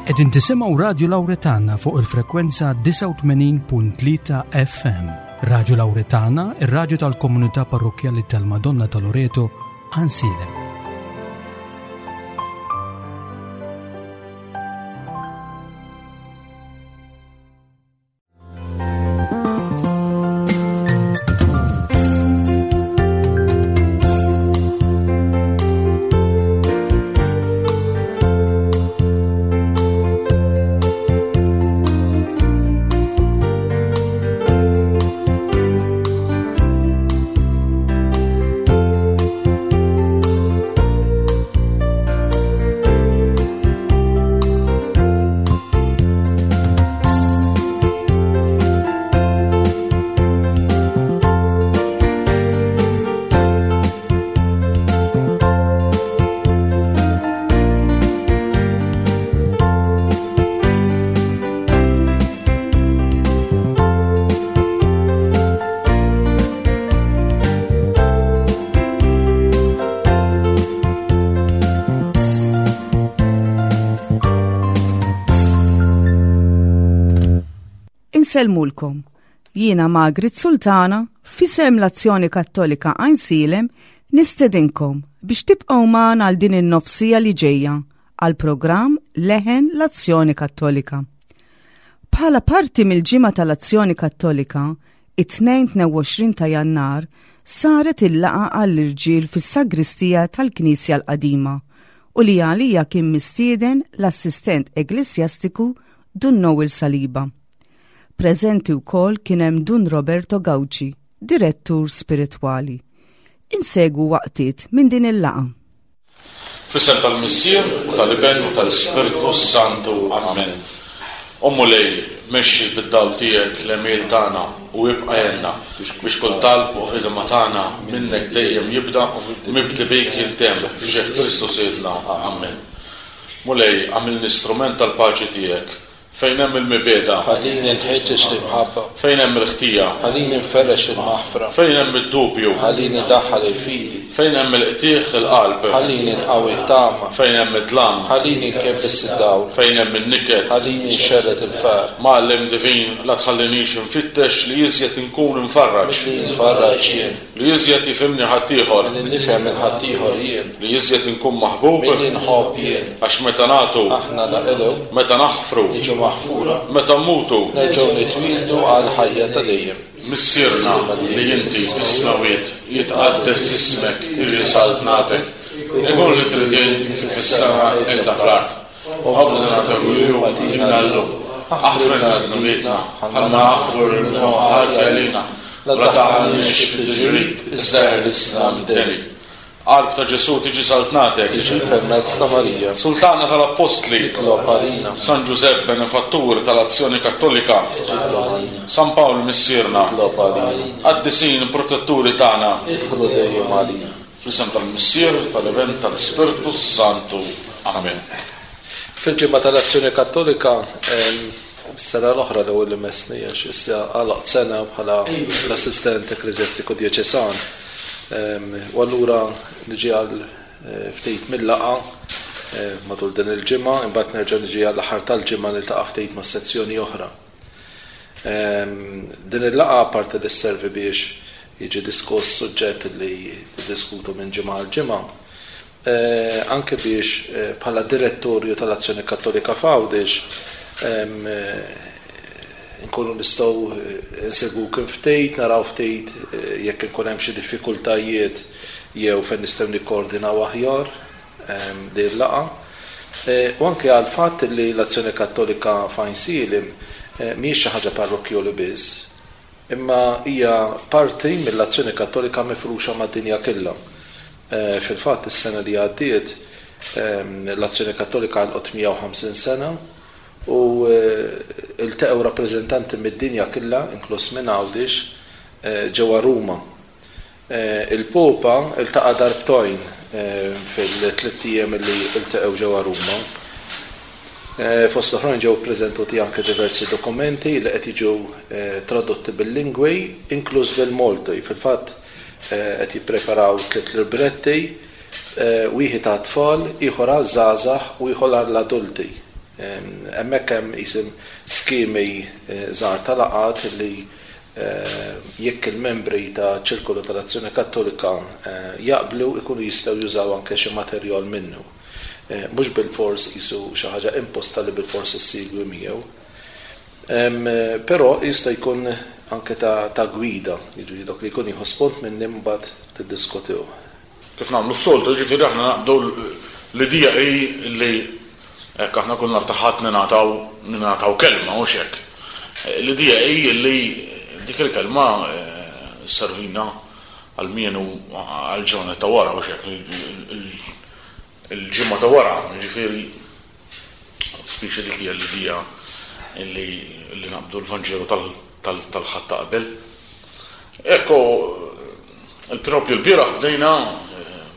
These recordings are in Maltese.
Qegħdin tisimgħu Radju Lawretana fuq il-frekwenza 89.3 FM. Radju Lawretana, ir-radju tal-komunità parrokkjali tal-Madonna ta' Loreto, Ansilem. Insellmulkom. Jiena Margaret Sultana, fisem l-Azzjoni Kattolika Għajnsielem, nistedinkom biex tibqgħu magħna għal din in-nofsija li ġejja għal programm Leħen l-Azzjoni Kattolika. Bħala parti mill-Ġimgħa tal-Azzjoni Kattolika, it-Tnejn 22 ta' Jannar saret il-laqgħa għall-irġiel fis-sagristija tal-Knisja l-Qadima u li għalija kien mistieden l-assistent eklesjastiku Dun Noel Saliba. Preżenti wkoll kien hemm Dun Roberto Gauci, direttur spiritwali. Insegwu waqtiet minn din il-laqgħa. Fl-isem tal-Missier, u tal-Iben, u tal-Ispirtu s-Santu. Amen. O Mulej, mexxi bid-dawl tiegħek l-għemil tagħna u ibqa' għenna biex kull talb u ħidma tagħna minnek dejjem jibda, mibdi bik jintemm, b'ġieħ Kristu Sidna. Amen. Mulej, agħmilni strument tal-paċi tiegħek. Fejn hemm il-mibegħda. Ħallini nħeġġeġ l-imħabba. Fejn hemm il-ħtija. Ħallini nferrex il-maħfra. Fejn hemm id-dubju. Ħallini ndaħħal il-fidi. Fejn hemm il-qtigħ il-qalb. Ħallini nqawwi t-tama. Fejn hemm id-dlam. Ħallini nkebbes id-dawl. Fejn hemm in-niket. Ħallini nxerred il-ferħ. Mgħallem divin, la tħallinix infittex li iżjed inkun imfarraġ. Milli nfarraġ jien. Li iżjed jifhimni ħaddieħor. Milli nifhem 'il ħaddieħor jien. Li iżjed inkun maħbub. Milli nħobb jien. Għax meta nagħtu. Aħna naqilgħu. Meta naħfru. Niġu maħfura. Meta mmutu. Nerġgħu nitwieldu għall-ħajja ta' dejjem. Missierna li inti fis-smewwiet, jitqaddes ismek, tiġi saltnatek, ikun li trid int kif fis-sema hekk fl-art. Ħobżna ta' kuljum agħtina llum. Aħfrilna dnubietna, bħalma naħfru lil min hu ħati għalina. U la tdaħħalniex fit-tiġrib, iżda eħlisna mid-deni. Qalb ta' Ġesù tiġi saltnatek. Tiġi permezz ta' Marija. Sultana tal-Appostli. Itlob għalina. San Ġużepp benefattur tal-Azzjoni Kattolika. Itlob għalina. San Pawl Missierna. Itlob għalina. Qaddisin protetturi tagħna. Idħlu dejjem għalina. Fl-isem tal-Missier, tal-Iben, tal-Ispirtu s-Santu. Amen. Fil-Ġimgħa tal-Azzjoni Kattolika, is-sena l-oħra l-ewwel li messni għax issa għalaqt sena bħala l-assistent ekkleżjastiku djoċesan. U allura niġi għal ftit mil-laqgħa matul din il-ġimgħa, imbagħad nerġa' niġi għall-aħħar tal-ġimgħa niltaqa' ftit ma' sezzjoni oħra. Din il-laqgħa apparti li sservi biex jiġi diskuss suġġett li niddiskutu minn ġimgħa għal ġimgħa, anke biex bħala Direttorju tal-Azzjoni Kattolika f'Għawdex inkunu nistgħu nsegwuk ftit, naraw ftit jekk ikun hemm xi diffikultajiet jew fejn nistgħu nikkoordinaw aħjar din il-laqgħa. U anke għall-fatt li l-Azzjoni Kattolika f'Għajnsielem mhijiex xi ħaġa parrokkjoli biss, imma hija parti mill-Azzjoni Kattolika mifruxa mad-dinja killha. Fil-fatt is-sena li għaddiet l-Azzjoni Kattolika għalqot 150 sena u lteqgħu rappreżentanti mid-dinja killha, inkluż minn Għawdex, ġewwa Ruma. Il-Popa ltaqa' darbtojn fil-tlitt ijiem li lteqgħu ġewwa Ruma. Fost l-oħrajn ġew ippreżentuti anke diversi dokumenti li qed jiġu tradotti bil-lingwi, inkluż bil-Malti. Fil-fatt qed jippreparaw tliet libretti, wieħed għat-tfal, ieħor għaż-żgħażagħ u ieħor għall-adulti. Hemmhekk hemm isim skemi żgħar ta' laqgħat li jekk il-membri ta' ċirkolu tal-Azzjoni Kattolika jaqblu jkunu jistgħu jużaw anke xi materjal minnu. Mhux bilfors qisu xi ħaġa imposta li bilfors issegwi miegħu. Però jista' jkun anke ta' gwida, jiġifieri dak li jkun jieħu spunt minni mbagħad tiddiskutiwh. Kif nagħmlu s-soltu, jiġifieri aħna naqbdu l-idea hi li hekk aħna kull nhar ta' Ħadd ningħataw ningħataw kelma, hux hekk. L-idea hi li dik il-kelma sservina almenu għall-ġranet ta' wara, hux hekk, il-ġimgħa ta' wara, jiġifieri Spiċi dik hija l-idea li li naqbdu l-Vanġelu tal-Ħadd ta' qabel. Ekku, il-propju l-bieraħ bdejna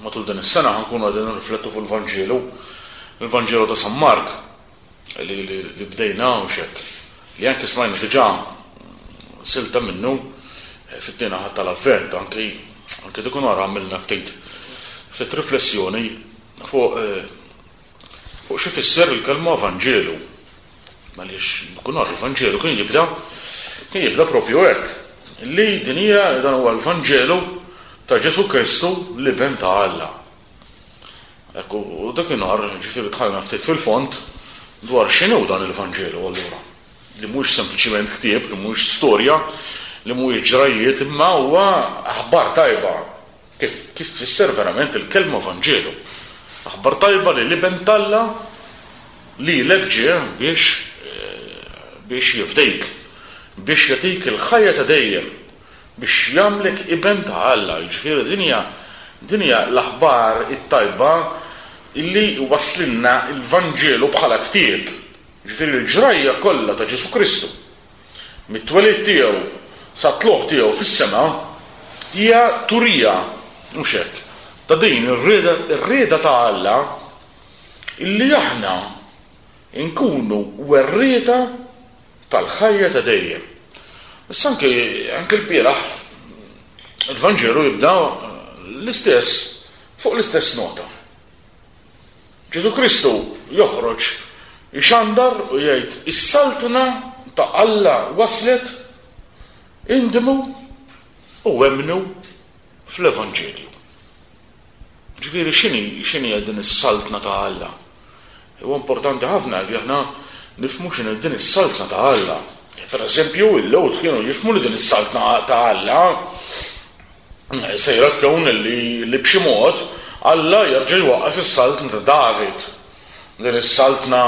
matul din is-sena ħankunu qegħdin nirriflettu fuq il-Vanġelu, il-Vanġelu ta' San Mark li li bdejna u xek. Li anke smajna diġà silta minnu fit-tieni Ħadd tal-Avvent, anki anke dik nhar għamilna ftit ftit riflessjoni fuq Fuq x'ifisser il-kelma Vanġelu. Għaliex kun nhar il-Vanġelu kien jibda kien jibda propju hekk, li din hija dan huwa l-Vanġelu ta' Ġesù Kristu l-Iben ta' Alla. Hekk u dakinhar ġifieri dħalna ftit fil-fond dwar x'inhu dan il-Vanġelu allura. Li mhuwiex sempliċiment ktieb, li mhuwiex storja, li mhuwiex ġrajjiet, imma huwa aħbar tajba Kif, kif tfisser verament il-kelma Vanġelu? Aħbar tajba li l-Iben t'Alla lilek ġie biex biex jifdejk, biex jagħtik il-ħajja ta' dejjem, biex jagħmlek iben ta' Alla. Jiġifieri din hija din hija l-aħbar it-tajba illi wasslilna l-Vanġelu bħala ktieb. Jiġifieri l-ġrajja kollha ta' Ġesù Kristu. mit-twelid tiegħu sat-tlugħ tiegħu fis-sema, hija turija, mhux hekk, ta' din ir-rieda, ir-rieda ta' Alla illi aħna nkunu werrieta tal-ħajja ta' dejjem. Issa anke anke l-bieraħ il-Vanġelu jibda l-istess fuq l-istess nota. Ġesù Kristu joħroġ ixandar u jgħid, Is-Saltna ta' Alla waslet, indmu u emmnu fl-Evanġelju. Ġifieri x'inhi x'inhi din is-Saltna ta' Alla? Huwa importanti ħafna li aħna nifhmu x'inhi din is-Saltna ta' Alla. Per eżempju, il-Lhud kienu jifhmu li din is-Saltna ta' Alla Sejra tkun li li b'xi mod Alla jerġa' jwaqqaf is-saltna ta' David. Din is-saltna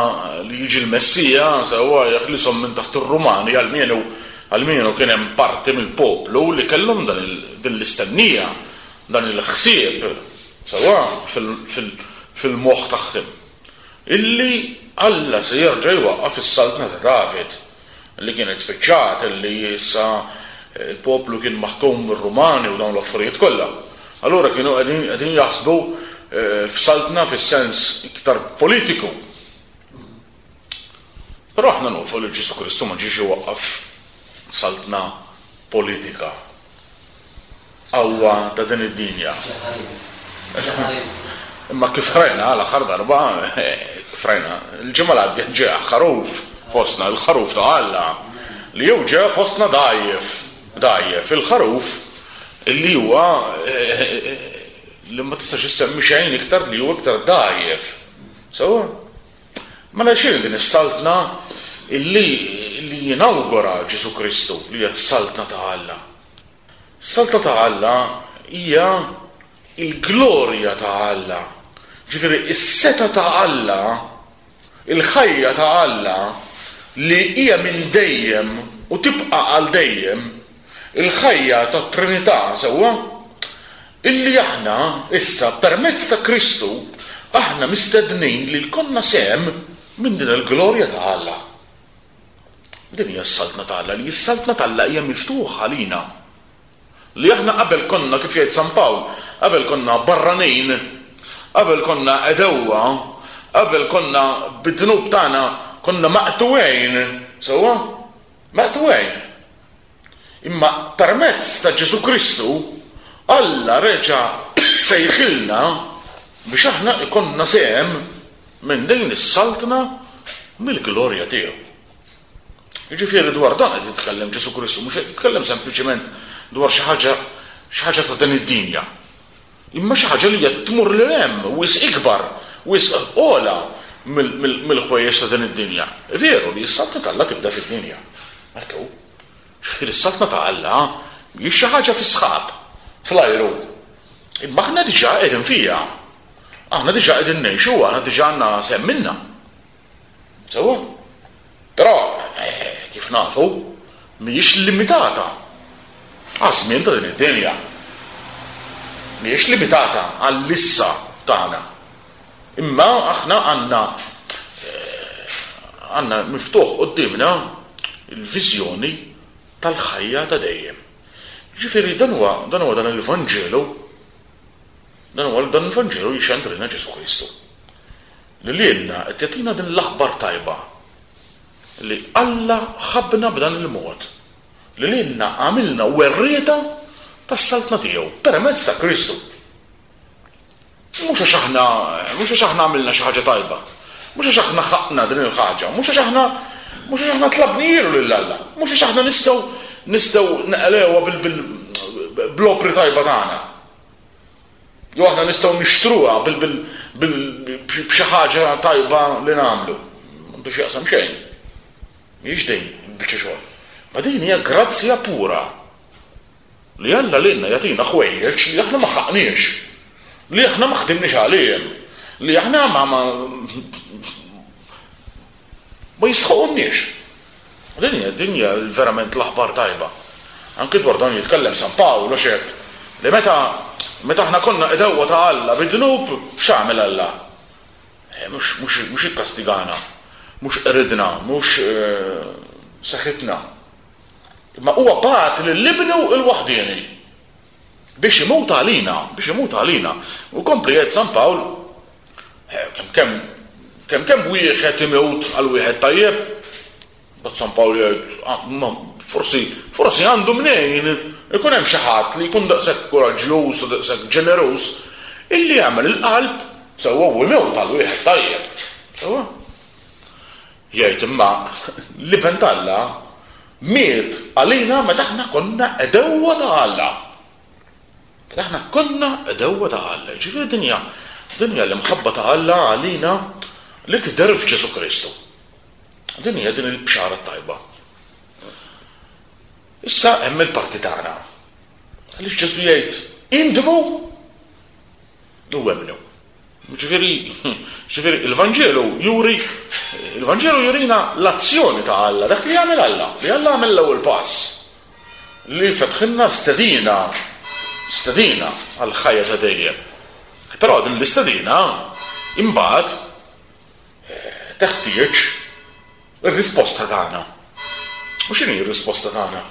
li jiġi l-Messija sewwa jeħlishom minn taħt ir-Rumani almenu almenu kien hemm parti mill-poplu li kellhom dan din l-istennija, dan il-ħsieb sewwa fil-moħħ tagħhom. Illi Alla se jerġa' jwaqqaf is-saltna ta' David. li kienet spiċċat, li issa l-poplu kien maħkum mir-Rumani u dawn l-affarijiet kollha. Allura kienu qegħdin qegħdin jaħsbu f'saltna fis-sens iktar politiku. Però aħna nafu li Ġesù Kristu ma ġiex iwaqqaf saltna politika. Qawwa ta' din id-dinja. Imma kif rajna l-aħħar darba, kif rajna, il-ġimgħa l-għaddiet ġie ħaruf fostna, il-ħaruf ta' Alla, li jew ġie fostna dgħajjef, dgħajjef, il-ħaruf li huwa li ma tistax issemmi xejn iktar li huwa iktar dgħajjef. Sewwa? Mela x'inhi din is-saltna li li jinawgura Ġesù Kristu li hija s-saltna ta' Alla? Is-saltna ta' Alla hija l-glorja ta' Alla. Ġifieri s-setgħa ta' Alla, il-ħajja ta' Alla li hija minn dejjem u tibqa' għal dejjem, il-ħajja tat-Trinità, sewwa? Illi aħna issa permezz ta' Kristu aħna mistednin li jkollna sehem minn din il-glorja ta' Alla. Din hija s-Saltna ta' Alla, li s-Saltna ta' Alla hija miftuħa għalina. Li aħna qabel konna, kif jgħid San Pawl, qabel konna barranin, qabel konna għedewwa, qabel konna bid-dnub tagħna konna maqtugħin, sewwa? Maqtugħin. Imma permezz ta' Ġesù Kristu, Alla reġa' sejħilna biex aħna jkollna sehem minn din is-Saltna. Mill-glorja tiegħu. Jiġifieri dwar dan qed jitkellem Ġesù Kristu, mhux qed jitkellem sempliċement dwar xi ħaġa xi ħaġa ta' din id-dinja. Imma xi ħaġa li hija tmur lil hemm, wisq ikbar, wisq ogħla mill-ħwejjeġ ta' din id-dinja. Veru li s-Saltna t'Alla tibda fid-dinja. Hekk hu. Ġifieri s-Saltna ta' Alla mhijiex xi ħaġa fis-sħab, fl-ajru. Imma aħna diġà qegħdin fiha. Aħna diġà qegħdin ngħixuha, aħna diġà għandna sehem minnha. Sewwa? Però, kif nafu, mhijiex limitata għaż-żmien ta' din id-dinja. Mhijiex limitata għall-issa tagħna. Imma aħna għandna għandna miftuħ quddiemna l-viżjoni tal-ħajja ta' dejjem. Ġifieri dan huwa dan huwa dan il-Vanġelu dan huwa dan il-Vanġelu li xandrilna Ġesù Kristu. Li lilna qed jagħtina din l-aħbar tajba li Alla ħabbna b'dan il-mod, li lilna għamilna werrieta tas-Saltna tiegħu permezz ta' Kristu. Mhux għax aħna, mhux għax aħna għamilna xi ħaġa tajba, mhux għax aħna ħaqqna din il-ħaġa, mhux għax aħna mhux għax aħna tlabnielu lil Alla, mhux għax aħna nistgħu nistgħu neqlewha bil-bl-opri tajba tagħna. Jew aħna nistgħu nixtruha b'xi ħaġa tajba li nagħmlu. M'għandu x'jaqsam xejn. Mhijiex din il-biċċa xogħol. Ma din hija grazzja pura li Alla lilna jagħtina ħwejjeġ li aħna ma ħaqniex, li aħna ma ħdimniex għalihom, li aħna ma ma Ma jistħoqhomniex. Din hija din hija verament l-aħbar tajba. Anki dwar dan jitkellem San Pawl għax hekk li meta meta aħna konna għedewwa ta' Alla bid-dnub, x'għamel Alla? Eh, mhux mhux mhux ikkastigana, mhux qridna, mhux eh, seħitna. Imma huwa bagħat lil ibnu l-waħdieni biex imut għalina, biex imut għalina. U kompli jgħid San Pawl Kemm kemm kemm kemm wieħed imut għal wieħed tajjeb? Mbagħad San Pawl jgħid, ah, forsi forsi għandu mnejn ikun hemm xi ħadd li jkun daqshekk kuraġġjuż u daqshekk ġeneruż illi jagħmel il-qalb sewwa u jmut għal wieħed tajjeb. Sewwa? Jgħid imma l-Iben t'Alla miet għalina meta aħna konna għedewwa ta' Alla. Mela aħna konna għedewwa ta' Alla. Jiġifieri din hija din hija l-imħabba ta' Alla għalina li tidher f'Ġesù Kristu. Din hija din il-bxara t-tajba. Issa hemm il-parti tagħna. Għaliex Ġesù jgħid indmu u emmnu. Ġifieri, ġifieri il-Vanġelu juri il-Vanġelu jurina l-azzjoni ta' Alla, dak li jagħmel Alla, li Alla għamel l-ewwel pass. Li fetħilna stedina, stedina għall-ħajja ta' dejjem. Però din l-istedina imbagħad eh, teħtieġ ir-risposta tagħna. U x'inhi r-risposta tagħna?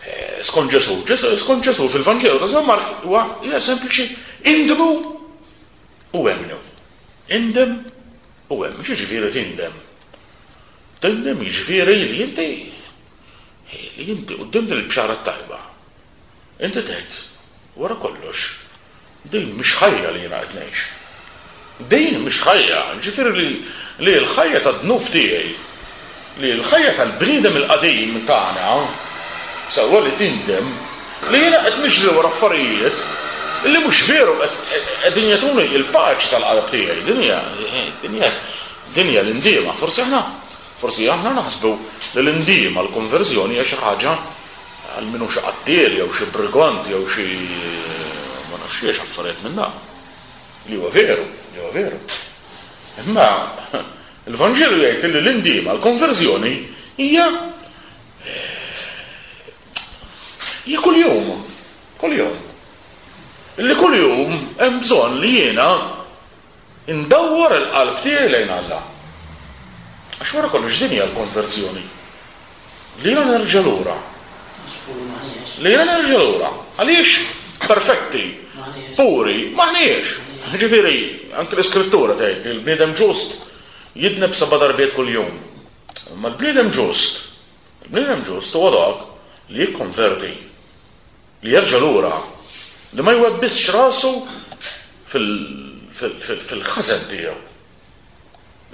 Eh, skont Ġesù, skont Ġesù fil-Vanġelu ta' San Mark huwa hija sempliċi indmu u emmnu. Indem u emmnu. X'jiġifieri tindem? Tindem jiġifieri li inti li inti quddiem din il-bxara t-tajba inti tgħid wara kollox Din mhix ħajja li jiena qed ngħix. Din mhix ħajja, jiġifieri li li l-ħajja tad-dnub tiegħi, li l-ħajja tal-bniedem il-qadim tagħna, sewwa li tindem, li jiena qed niġri wara affarijiet li mhux veru qed qegħdin jagħtuni l-paċi tal-qalb tiegħi. Din hija din hija din hija l-indiema. Forsi aħna forsi aħna naħsbu li l-indiema, l-konverżjoni hija xi ħaġa Għal min hu xi qattiel jew xi brigant jew xi ma nafx xiex affarijiet minn dawn. Li huwa veru, li huwa veru. Imma il-Vanġelu jgħid li l-indiema, l-konverżjoni hija hija kuljum, kuljum. Illi kuljum hemm bżonn li jiena indawwar il-qalb tiegħi lejn Alla. Għax wara kollox din hija l-konverżjoni. Li jiena nerġa' lura. Li jiena nerġa' lura. Għaliex perfetti, puri, m'aħniex. Ġifieri, anke l-Iskrittura tgħid li l-bniedem ġust jidneb seba' darbiet kuljum. Imma l-bniedem ġust, il-bniedem ġust huwa dak li jikkonverti, li jerġa' lura, li ma jwebbisx rasu fil-ħażen tiegħu.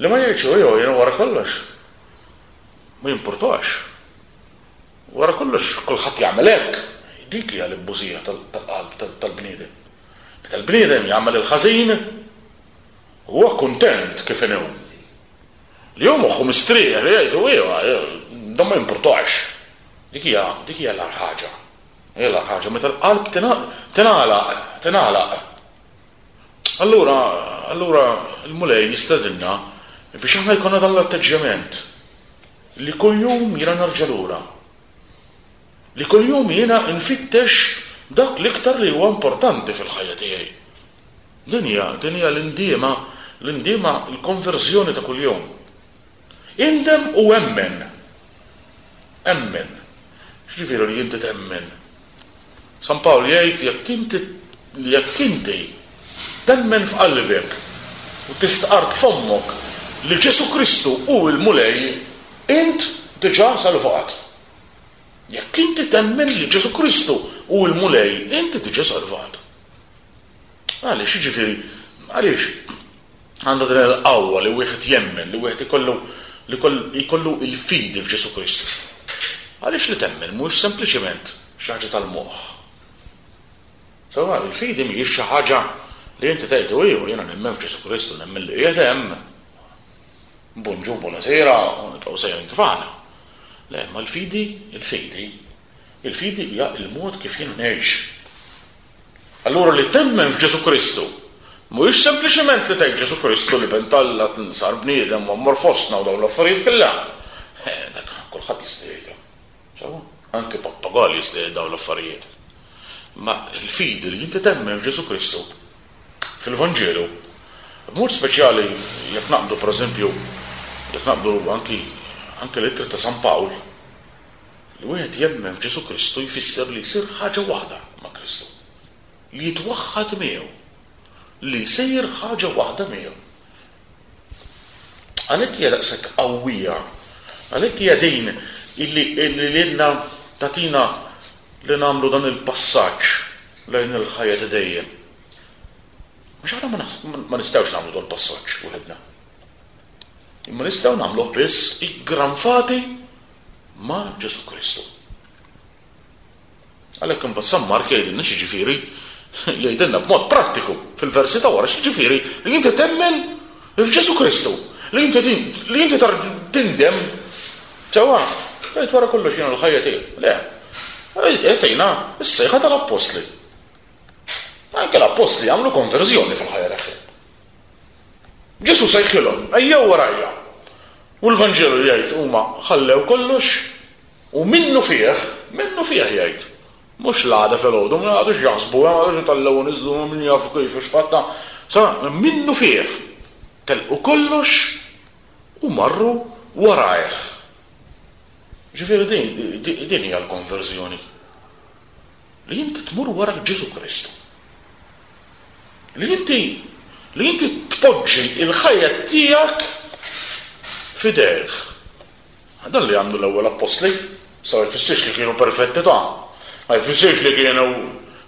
Li ma jgħidx hu jew jiena wara kollox. Ma jimpurtax. Wara kollox kulħadd jagħmel hekk. Dik hija l-ibbużija tal-qalb tal-bniedem. Meta l-bniedem jagħmel il-ħażin, huwa kuntent kif inhu. Li hu moħħu mistrieħ li jgħid iva, dan ma jimpurtax. Dik hija dik hija l-agħar ħaġa. Hija l-agħar ħaġa meta l-qalb tingħalaq, tingħalaq. Allura, allura l-Mulej jistedinna biex aħna jkollna dan l-atteġġjament li kuljum jiena nerġa' lura. Li kuljum jiena nfittex dak l-iktar li huwa importanti fil-ħajja tiegħi. Din hija, din hija l-indiema, l-indiema, l-konverżjoni ta' kuljum. Indem u emmen. Emmen. X'ġifieri li inti temmen? San Pawl jgħid jekk inti jekk inti temmen f'qalbek u tistqarr b'fommok li Ġesù Kristu hu l-Mulej, int diġà salvat. Jekk inti temmen li Ġesù Kristu hu l-Mulej, inti diġà salvat. Għaliex, jiġifieri, għaliex għandha din il-qawwa li wieħed jemmen, li wieħed ikollu li jkollu l-fidi f'Ġesù Kristu? Għaliex li temmen mhuwiex sempliċement xi ħaġa tal-moħħ. Sewwa, il-fidi mhijiex xi ħaġa li inti tgħid u iva jiena nemmen f'Ġesù Kristu, nemmen li qiegħed hemm. Bonġu, buonasera, u nibqgħu sejrin kif aħna. Le, ma l-fidi, il-fidi, il-fidi hija l-mod kif jiena ngħix. Allura li temmen f'Ġesù Kristu mhuwiex sempliċement li tgħid Ġesù Kristu l-Iben t'Alla sar bniedem u għammar fostna u dawn l-affarijiet kollha. Eh, dak kulħadd jista' jgħidha. Sewwa? Anke pappagal jista' jgħid dawn l-affarijiet. Ma l-fidi li inti temmen f'Ġesù Kristu fil-Vanġelu, b'mod speċjali jekk naqbdu pereżempju jekk naqbdu anki anke l-ittri ta' San Pawl, Li wieħed jemmen f'Ġesù Kristu jfisser li jsir ħaġa waħda ma' Kristu, li jitwaħħad miegħu, li jsir ħaġa waħda miegħu. Għalhekk hija daqshekk qawwija, għalhekk hija din illi lilna tagħtina li nagħmlu dan il-passaġġ lejn il-ħajja ta' dejjem. Għax aħna ma nistgħux nagħmlu dan il-passaġġ waħedna. Imma nistgħu nagħmluh biss iggranfati ma' Ġesù Kristu. Għalhekk imbagħad San Mark jgħidilna x'jiġifieri jgħidilna b'mod prattiku fil-versi ta' wara x'jiġifieri li inti temmen f'Ġesù Kristu, li inti li inti tindem sewwa, tgħid wara kollox jiena l-ħajja tiegħi. Le. Jagħtina s-sejħa tal-appostli. Anke l-appostli għamlu konverżjoni fil-ħajja tagħhom. Ġesù sejħilhom, Ejjew warajja. U l-Vanġelu jgħid huma ħallew kollox u minnufih, minnufih jgħid, mhux l-għada filgħodu, ma qagħdux jaħsbu, ma qagħdux itellgħu u niżlu, min jaf kif u x'fatta, sa minnufih telqu kollox u marru warajh. Ġifieri din din hija l-konverżjoni. Li inti tmur wara Ġesù Kristu. Li inti li inti tpoġġi l-ħajja tiegħek f'idejh. Dan li għamlu l-ewwel appostli, sa ma jfissirx li kienu perfetti ta' ma jfissirx li kienu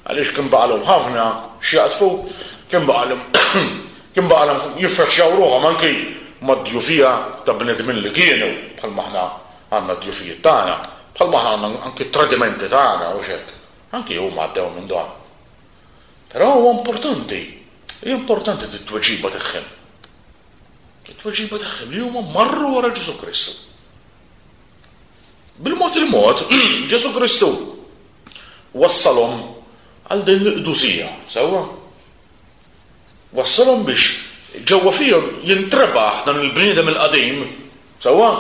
għaliex kien baqalhom ħafna x'jaqdfu, kien baqalhom kien baqalhom jiffaċċjaw ruħhom anki mad-djufija ta' bnedmin li kienu bħalma aħna għandna d-djufijiet tagħna, bħalma aħna għandna anki t-tradimenti tagħna u x'hekk. Anki huma għaddew minn dan. Però huwa importanti, hija importanti t-tweġiba tagħhom. It-tweġiba tagħhom li huma marru wara Ġesù Kristu. Bil-mod il-mod, Ġesù Kristu wassalhom għal din l-qdusija, sewwa? Wassalhom biex ġewwa fihom jintrebaħ dan il-bniedem il-qadim, sewwa,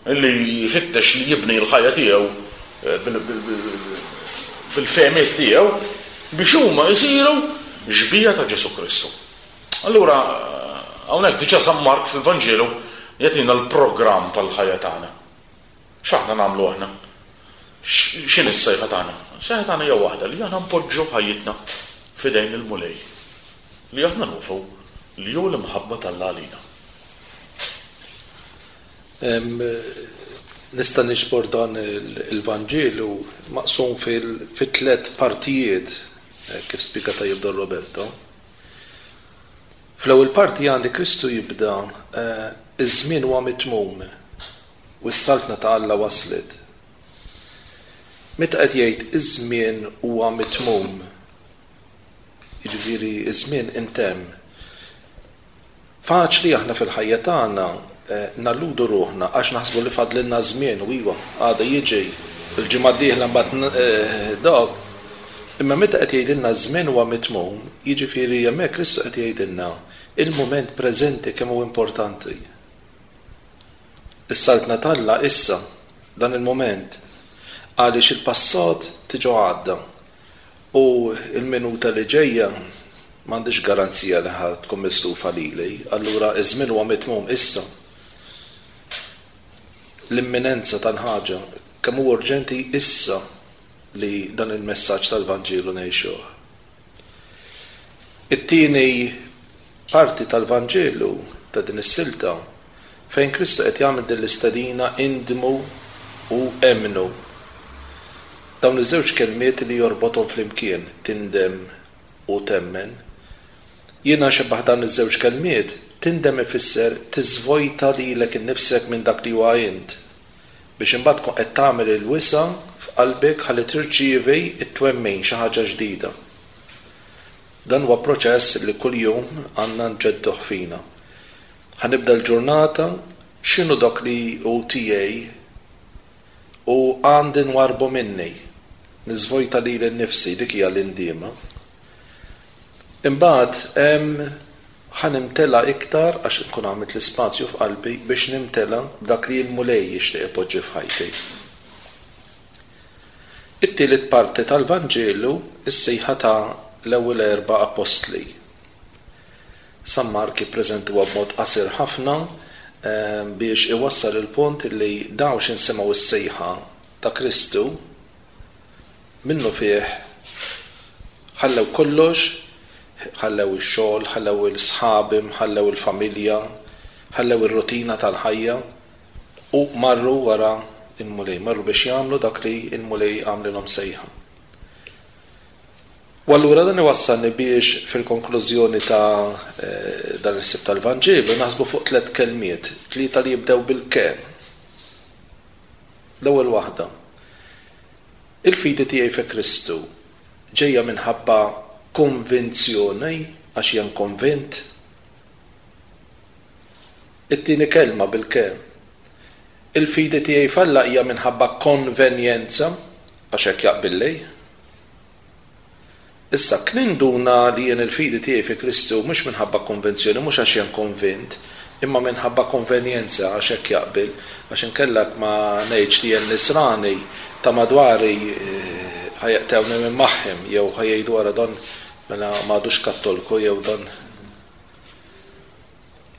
li jfittex li jibni l-ħajja tiegħu eh, bil-fehmiet tiegħu biex huma jsiru xbija ta' Ġesù Kristu. Allura, hawnhekk diġà San Mark fil-Vanġelu jagħtina l-programm tal-ħajja tagħna. X'aħna nagħmlu aħna? X'inhi s-sejħa tagħna? Is-sejħa tagħna hija waħda li aħna npoġġu ħajjitna f'idejn il-Mulej, li aħna nafu li hu l-imħabba t'Alla għalina. Nista' niġbor dan il-Vanġelu maqsum fi tlett partijiet, kif spjega tajjeb Don Roberto. Fl-ewwel parti għandi Kristu jibda. Iż-żmien huwa mitmum u s-Saltna ta' Alla waslet. Meta qed jgħid iż-żmien huwa mitmum, jiġifieri ż-żmien intemm. Faċli aħna fil-ħajja tagħna nalludu ruħna għax naħsbu li fadlilna żmien u iva, għada jiġi, il-ġimgħa d-dieħla mbagħad dak. Imma meta qed jgħidilna ż-żmien huwa mitmum, jiġifieri hemmhekk Kristu qed jgħidilna il-mument preżenti kemm hu importanti. Is-Saltna t'Alla issa, dan il-mument, għaliex il-passat diġà għadda u l-minuta li ġejja m'għandix garanzija li ħa tkun mislufa lili, allura ż-żmien huwa mitmum issa. L-imminenza tal-ħaġa, kemm hu urġenti issa li dan il-messaġġ tal-Vanġelu ngħixuh. It-tieni parti tal-Vanġelu ta' din is-silta fejn Kristu qed jagħmel din l-istedina indmu u emmnu. Dawn iż-żewġ kelmiet li jorbothom flimkien, tindem u temmen. Jiena nxebbah dan iż-żewġ kelmiet, tindem ifisser tiżvojta lilek innifsek minn dak li huwa int, biex imbagħad tkun qed tagħmel il-wisa' f'qalbek ħalli tirċievi t-twemmin, xi ħaġa ġdida. Dan huwa proċess li kuljum għandna nġedduh fina. Ħa nibda l-ġurnata, x'inhu dak li hu tiegħi u għandi nwarrbu minni? Niżvojta lili nnifsi, dik hija l-indiema. Imbagħad hemm ħa nimtela iktar għax inkun għamilt l-ispazju f'qalbi biex nimtela b'dak li l-Mulej jixtieq ipoġġi f'ħajti. It-tielet parti tal-Vanġelu, is-sejħa ta' l-ewwel erbgħa appostli. San Mark jippreżentuha b'mod qasir ħafna biex iwassal il-punt li dawn x'in semgħu s-sejħa ta' Kristu, minnufih ħallew kollox, ħallew ix-xogħol, ħallew il-sħabhom, ħallew il-familja, ħallew ir-rutina tal-ħajja U marru wara l-Mulej, marru biex jagħmlu dak li l-Mulej għamlilhom sejħa. U allura dan iwassalni biex fil-konklużjoni ta' dan il-ħsieb tal-Vanġelu naħsbu fuq tlett kelmiet, tlieta li jibdew bil-ke. L-ewwel waħda, il-fidi tiegħi fi Kristu ġejja minħabba konvinzjoni għax jien konvint? It-tieni kelma bil-ke. Il-fidi tiegħi f'Alla hija minħabba konvenjenza, għax hekk jaqbilli. Issa, kninduna li jien il-fidi tiegħi fi Kristu mhux minħabba konvinzjoni, mhux għax jien konvint, imma minħabba konvenjenza, għax hekk jaqbil, għax inkella jekk ma ngħidx li jien Nisrani, ta' madwari ħa jeqtgħuni minn magħhim jew ħa jgħidu ara dan mela m'għadux Kattolku jew dan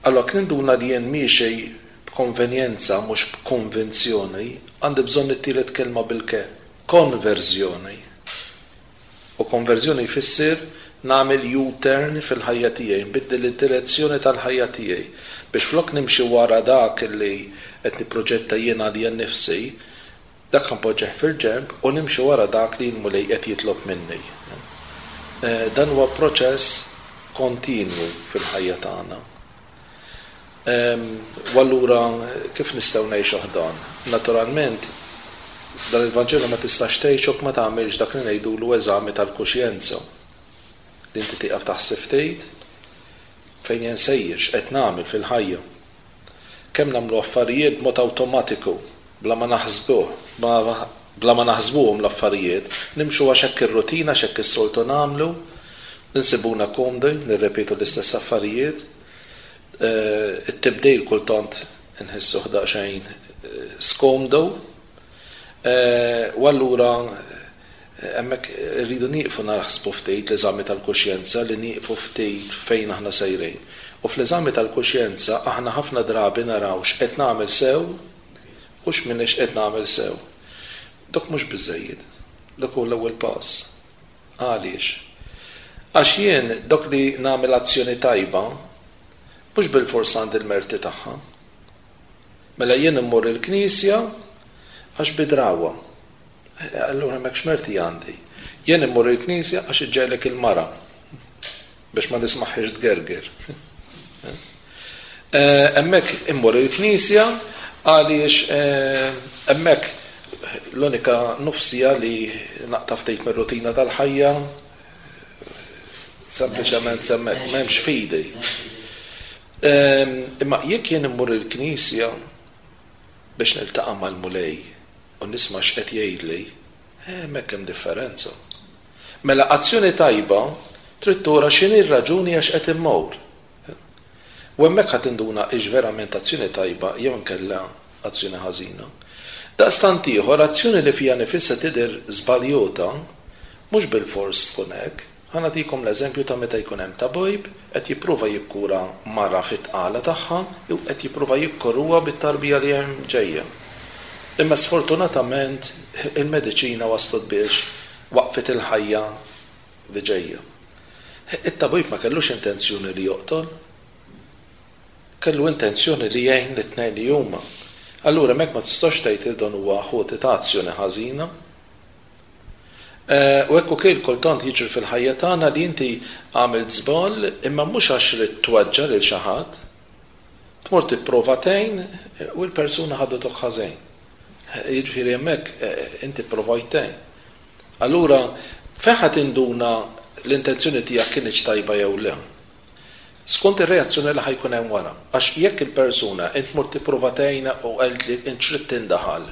Allura jekk ninduna li jien miexi b'konvenjenza mhux b'konvinzjoni, għandi bżonn it-tielet kelma bil-ke, konverżjoni. U konverżjoni jfisser nagħmel U-turn fil-ħajja tiegħi, nbiddel id-direzzjoni tal-ħajja tiegħi biex flok nimxi wara dak li qed nipproġetta jien għalija nnifsi, Dak ħa npoġġih fil-ġenb u nimxi wara dak li l-Mulej qed jitlob minni. Dan huwa proċess kontinwu fil-ħajja tagħna. U allura kif nistgħu ngħixuh dan? Naturalment, dan il-Vanġelu ma tistax tgħixu jekk ma tagħmilx dak li ngħidulu eżami tal-kuxjenza. Li inti tieqaf taħseb ftit fejn jien sejjer, x'qed nagħmel fil-ħajja. Kemm nagħmlu affarijiet b'mod awtomatiku, bla ma naħsbuh, bla ma naħsbuhom l-affarijiet, nimxu għax hekk ir-rutina, għax hekk is-soltu nagħmlu, insibuna komdi, nirrepetu l-istess affarijiet. It-tibdil kultant inħissuh daqsxejn skomdu. U allura Hemmhekk irridu nieqfu naħsbu ftit l-eżami tal-kuxjenza, li nieqfu ftit fejn aħna sejrin. U fl-eżami tal-kuxjenza aħna ħafna drabi naraw x'qed nagħmel sew u x'm'iniex qed nagħmel sew. Dak mhux biżżejjed. Dak hu l-ewwel pass. Għaliex? Għax jien dak li nagħmel azzjoni tajba mhux bilfors għandi l-merti tagħha. Mela jien immur il-knisja għax bi drawwa. Allura hemmhekk x'merti għandi? Jien immur il-knisja għax iġġegħlek il-mara biex ma nismagħhiex tgerger. Hemmhekk immur il-knisja għaliex hemmhekk l-unika nofsija li naqta' ftit mir-rutina tal-ħajja, sempliċement hemmhekk m'hemmx fidi. Imma jekk jien immur il-knisja biex niltaqa' mal-Mulej u nisma' x'qed jgħidli, hemmhekk hemm differenza. Mela azzjoni tajba trid tura x'inhi r-raġuni għax qed immur. U hemmhekk ħa tinduna hix verament azzjoni tajba jew inkella azzjoni ħażina. Daqstant ieħor, azzjoni li fiha nifisha tidher żbaljota, mhux bilfors tkun hekk. Ħa nagħtikom l-eżempju ta' meta jkun hemm tabib qed jipprova jikkura mara fit-tqala tagħha jew qed jipprova jikkoruha bit-tarbija li hemm ġejja. Imma sfortunatament il-mediċina waslet biex waqqfet il-ħajja li ġejja. It-tabib ma kellux intenzjoni li joqtol. Kellu intenzjoni li jgħin lit-tnejn li huma. Allura hemmhekk ma tistax tgħid li dan huwa ħoti ta' azzjoni ħażina. U hekk ukoll kultant jiġri fil-ħajja tagħna li inti għamilt żball imma mhux għax ridt tweġġa' lil xi ħadd. Tmur tipprova tgħin u l-persuna ħadetok ħażin. Jiġifieri hemmhekk inti pprovajt tgħin. Allura fejn ħa tinduna l-intenzjoni tiegħek kinitx tajba jew le? Skont ir-reazzjoni li ħa jkun hemm wara. Għax jekk il-persuna int mort tipprova tgħinha u qaltli int x'ridt tindaħal,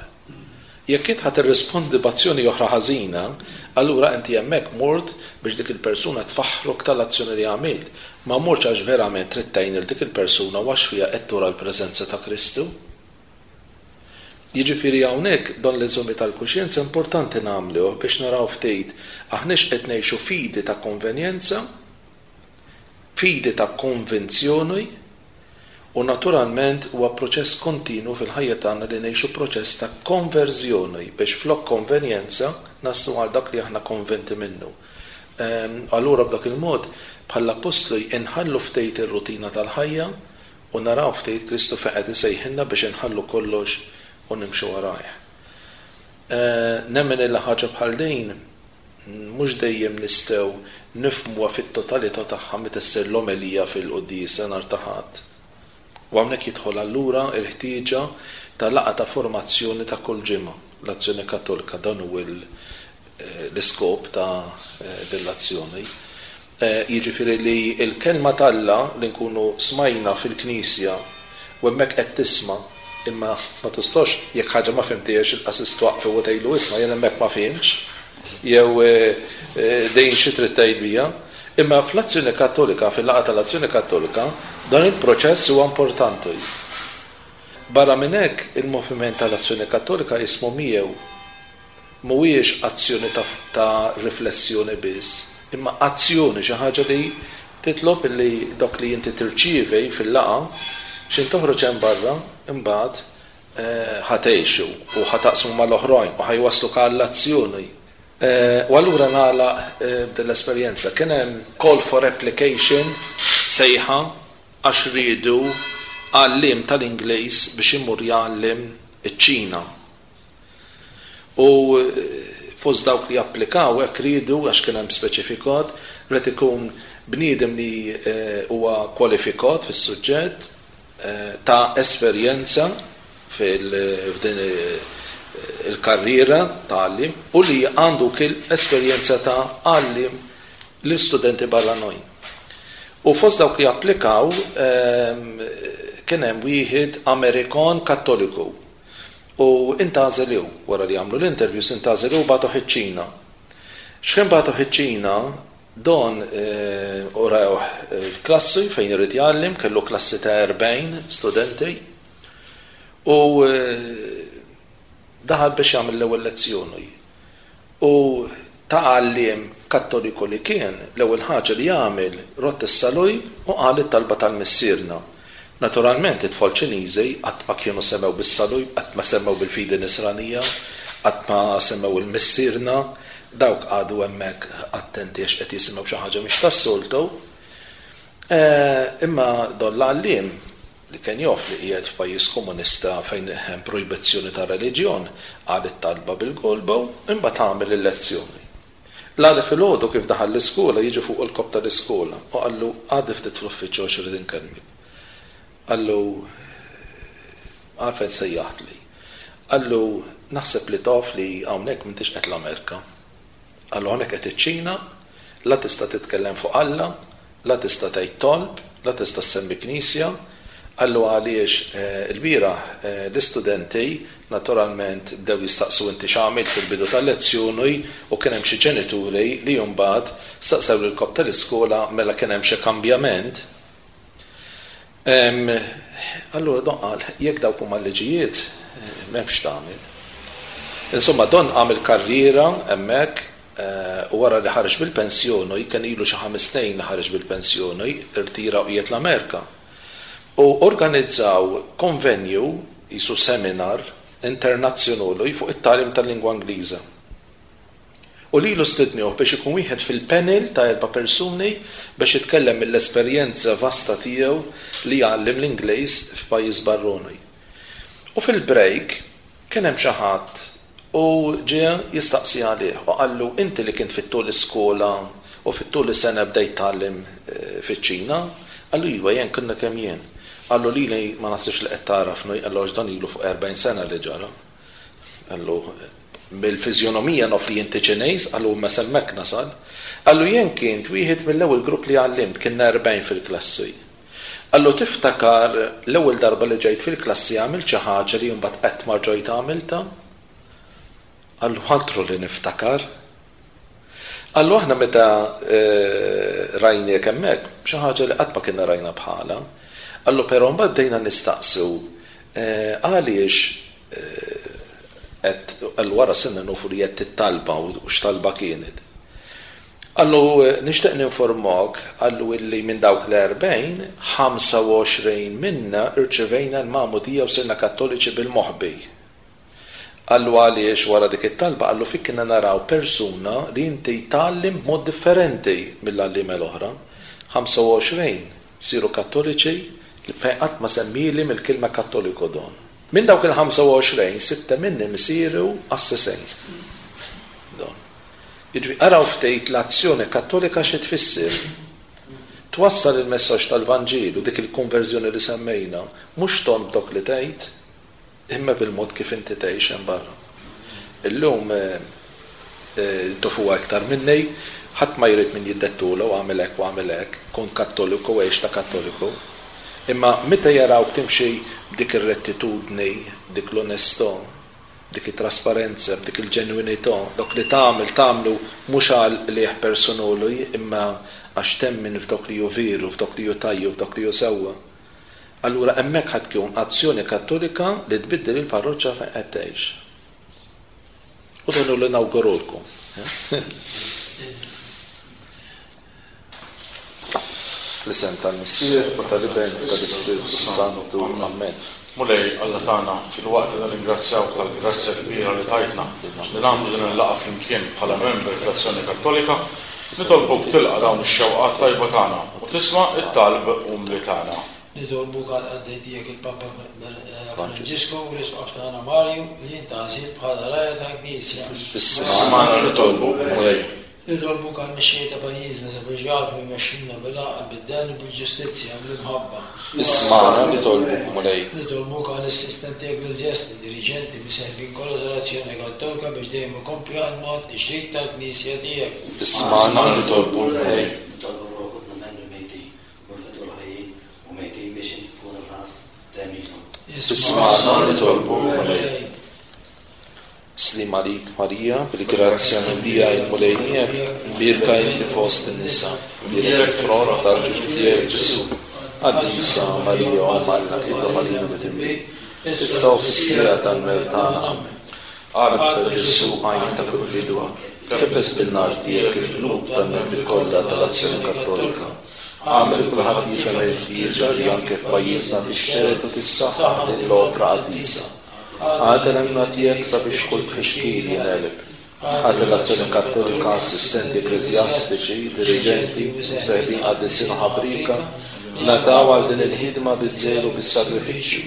jekk int ħa tirrispondi b'azzjoni oħra ħażina, allura inti hemmhekk mort biex dik il-persuna tfaħħrok tal-azzjoni li għamilt. Ma mortx għax verament trid tgħin lil dik il-persuna u għax fiha qed tura l-preżenza ta' Kristu. Jiġifieri hawnhekk dan l-eżami tal-kuxjenza importanti nagħmluh biex naraw ftit aħniex qed ngħixu fidi ta' konvenjenza, fidi ta' konvinzjoni u naturalment huwa proċess kontinwu fil-ħajja tagħna li ngħixu proċess ta' konverżjoni biex flok konvenjenza naslu għal dak li aħna konvinti minnu. Allura b'dak il-mod bħall-appostli inħallu ftit ir-rutina tal-ħajja u naraw ftit Kristu fejn qed isejħilna biex inħallu kollox u nimxu warajh. Nemmen illi ħaġa bħal din mhux dejjem nistgħu nifhmuha fit-totalità tagħha meta ssir l-omelija fil-quddiesa nhar ta' Ħadd. U hawnhekk jidħol allura l-ħtieġa ta' laqgħa ta' formazzjoni ta' kull ġimgħa, l-Azzjoni Kattolika, dan hu l-iskop ta' din l-azzjoni. Jiġifieri li l-Kelma t'Alla li nkunu smajna fil-knisja u hemmhekk qed tisma' imma ma tistax jekk ħaġa ma fhimthiex il-qassis twaqqfu u tgħidlu isma' jien hemmhekk ma fhimtx jew din xi trid tgħid bija. Imma fl-Azzjoni Kattolika, fil-laqgħa tal-Azzjoni Kattolika, dan il-proċess huwa importanti. Barra minn hekk, il-moviment tal-Azzjoni Kattolika ismu miegħu. Mhuwiex azzjoni ta' ta' riflessjoni biss, imma azzjoni, xi ħaġa li titlob illi dak li inti tirċievi fil-laqgħa, x'ħin toħroġ hemm barra, imbagħad ħa tgħixu u ħa taqsmu mal-oħrajn u ħa jwassluk għall-azzjoni. U allura nagħlaq b'din l-esperjenza. Kien hemm call for application, sejħa, għax riedu għalliem tal-Ingliż biex imur jgħallem iċ-Ċina. U fost dawk li applikaw hekk riedu għax kien hemm speċifikat, ried ikun bniedem li huwa kwalifikat fis-suġġett, ta' esperjenza f'din il-karriera ta' għalliem u li għandu wkoll esperjenza ta' għalliem lil studenti barranin. U fost dawk li applikaw kien hemm wieħed Amerikan Kattoliku U intgħażel hu, wara li għamlu l-interviews intgħażel hu u bagħtuh iċ-Ċina. X'ħin bagħtuh iċ-Ċina, Don urewh il-klassi fejn irid jgħallem, kellu klassi ta' 40 studenti u daħal biex jagħmel l-ewwel lezzjoni. U ta' għalliem Kattoliku li kien, l-ewwel ħaġa li għamel, rodd is-salib u qal it-talba tal-Missierna. Naturalment, it-tfal Ċiniżi qatt ma kienu semgħu bis-salib, qatt ma semgħu bil-fidi Nisranija, qatt ma semgħu il-Missierna. Dawk qagħdu hemmhekk attenti għax qed jisimgħu xi ħaġa mhix tas-soltu. Imma dan l-għalliem, li kien jaf li qiegħed f'pajjiż komunista fejn hemm projbizzjoni ta' reliġjon, qal it-talba bil-golba u imbagħad għamel il-lezzjoni. L-għada filgħodu kif daħal l-iskola jiġi fuqu l-kap tal-iskola u qallu għaddi ftit fl-uffiċċju għax irrid inkellmek. Qallu, Għalfejn sejjaħtli? Qallu, Naħseb li taf li hawnhekk m'intix qed l-Amerka. Qallu, Hawnhekk qed iċ-Ċina, la tista' titkellem fuq Alla, la tista' tgħid talb, la tista' ssemmi knisja. Qallu għaliex ilbieraħ l-istudenti naturalment bdew jistaqsu inti x'għamilt fil-bidu tal-lezzjoni u kien hemm xi ġenituri li mbagħad staqsew lill-kap tal-iskola mela kien hemm xi kambjament. Allura Don qal, jekk dawk huma l-liġijiet, m'hemmx x'tagħmel. Insomma, Don għamel karriera hemmhekk u wara li ħareġ bil-pensjoni, kien ilu xi ħames snin li ħareġ bil-pensjoni, irtira u qiegħed l-Amerika. U organizzaw konvenju, qisu seminar, internazzjonoli fuq it-tagħlim tal-lingwa Ingliża. U lilu stidniuh biex ikun wieħed fil-panel ta' erba' persuni biex jitkellem mill-esperjenza vasta tiegħu li jgħallem l-Ingliż f'pajjiż barroni. U fil-break kien hemm xi ħadd u ġie jistaqsi għalih u qallu inti li kint fit-tul iskola u fit-tul is-sena bdejt tgħallem fiċ-Ċina? Qallu iva jien konna kemm jien. Qallu lili ma naħsibx li qed tagħrafni, qallu għax dan ilu fuq 40 sena li ġara. Qallu, Mill-fiżjonomija naf li inti Ċiniż, qallu, imma s'hemmhekk nasal. Qallu, Jien kint wieħed mill-ewwel grupp li għallimt, kienna 40 fil-klassi. Qallu, Tiftakar l-ewwel darba li ġejt fil-klassi għamilt xi ħaġa li mbagħad qatt ma rġajt għamiltha? Qallu, Altru li niftakar. Qallu aħna meta rajniek hemmhekk, xi ħaġa li qatt ma kienna rajna bħalha. Qallu però mbagħad bdejna nistaqsu għaliex qed, qallu wara sirna nufu li għedt it-talba u x'talba kienet. Qallu nixtieq ninformak, qallu illi minn dawk l-40, 25 minna rċevejna l-magħmudija u sirna Kattoliċi bil-moħbi. Qallu għaliex wara dik it-talba qallu fik kienna naraw persuna li inti tgħallem b'mod differenti mill-għalliema l-oħra. 25 siru Kattoliċi li fejn qatt ma semmieli mill-kelma Kattoliku Don. Minn dawk il-25, sitta minnhom isiru qassisejn. Don. Jiġifieri araw ftit l-azzjoni Kattolika xi tfisser. Twassal il-messaġġ tal-Vanġelu, dik il-konverżjoni li semmejna, mhux tond b'dok li tgħid, imma bil-mod kif inti tgħix hemm barra. Illum tafuha iktar minni, ħadd ma jrid min jiddettulu agħmel hekk u agħmel hekk, kun Kattoliku għix ta' Kattoliku. Imma meta jarawk timxi b'dik ir-rettitudni, b'dik l-onestà, b'dik it-trasparenza, b'dik il-ġenwinità, dok li tagħmel tagħmlu mhux għal qligħ personali imma għax temmen f'dok li hu veru, f'dok li hu tajjeb, f'dok li hu sewwa. Allura hemmhekk ħa tkun azzjoni Kattolika li tbiddel il-parroċċa fejn qed tgħix. U dan hu li nawgurulkom. Fl-isem tal-Missier u tal-Iben u tal-Ispirtu s-Santu. Amen. Mulej, Alla tagħna, filwaqt li nirringrazzjawk tal-grazzja kbira li tajtna li nagħmlu din il-laqgħa flimkien bħala membri fl-Azzjoni Kattolika, nitolbuk tilqa' dawn ix-xewqat tajba tagħna u tisma' t-talb umli tagħna. Nitolbuk għall-qaddej tiegħek il-Papa Franġisku u l-Isqof tagħna Marju li jintgħażel bħala rgħajja tal-Knisja. Ismagħna nitolbuk, Mulej. Nitolbuk għall-mexxejja ta' pajjiżna sabiex jagħrfu jmexxuna bil-għaqal, bid-den u bil-ġustizzja, bl-imħabba. Ismagħna nitolbuk, Mulej. Nitolbuk għall-assistenti ekkleżjasti, diriġenti, miseħbin kollha tal-Azzjoni Kattolika biex dejjem ikomplu jaħdmu għat-tixrid tal-Knisja tiegħek. Ismagħna nitolbuk, Mulej. Nitolbu għal ħutna membri mejtin u l-futur ħajjin u mejtin biex inti tkun il-ħlas ta' għemilhom. Ismagħna nitolbuk, Mulej. Sliem għalik Marija, bil-grazzja mimlija il-Mulej miegħek, mbierka inti fost in-nisa, mbierek il-frott tal-ġuf tiegħek Ġesù. Qaddisa Marija Omm Alla, itlob għalina midinbin, issa u fis-siegħa tal-mewt tagħna. Amen. Qalb ta' Ġesù għajn ta' kull fidwa, kebbes bin-nar tiegħek il-qlub tal-membri kollha tal-Azzjoni Kattolika. Agħmel li kulħadd jifhem il-ħtieġa li anke f'pajjiżna tixtered u tissaħħaħ din l-opra qaddisa. Agħti l-għajnuna tiegħek sabiex kull tfixkil jingħeleb. Agħti l-Azzjoni Kattolika assistenti ekkleżjastiċi, diriġenti, mseħbin qaddisin u ħabrieka, ngħataw għal din il-ħidma biż-żelu u bis-sagrifiċċju.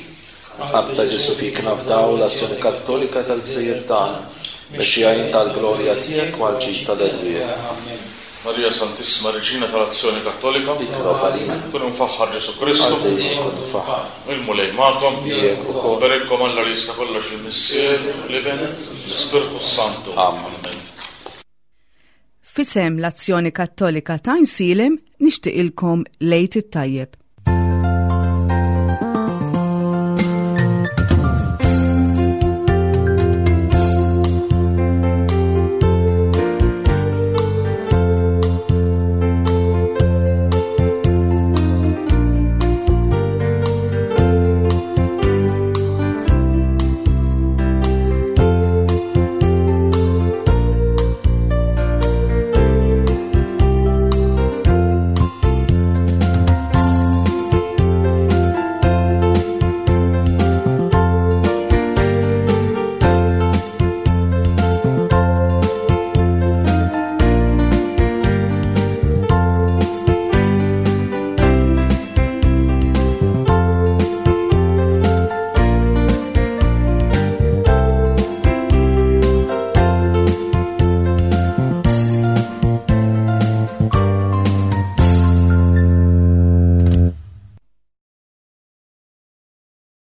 Qalb ta' Ġesù fik nafdaw l-Azzjoni Kattolika tal-gżejjer tagħna, mexxija int għall-glorja tiegħek u għall-ġid tal-erwieħ. Amen. Marija Santissima Reġina tal-Azzjoni Kattolika. Itlob għalina. Kun imfaħħar Ġesù Kristu. Għal dejjem ikun imfaħħar. Il-Mulej magħkom. Miegħek ukoll. Iberikkom Alla li jista' kollox il-Missier, l-Iben, l-Ispirtu s-Santu. Amen. F'isem l-Azzjoni Kattolika ta' Għajnsielem nixtieqilkom l-Għid it-Tajjeb.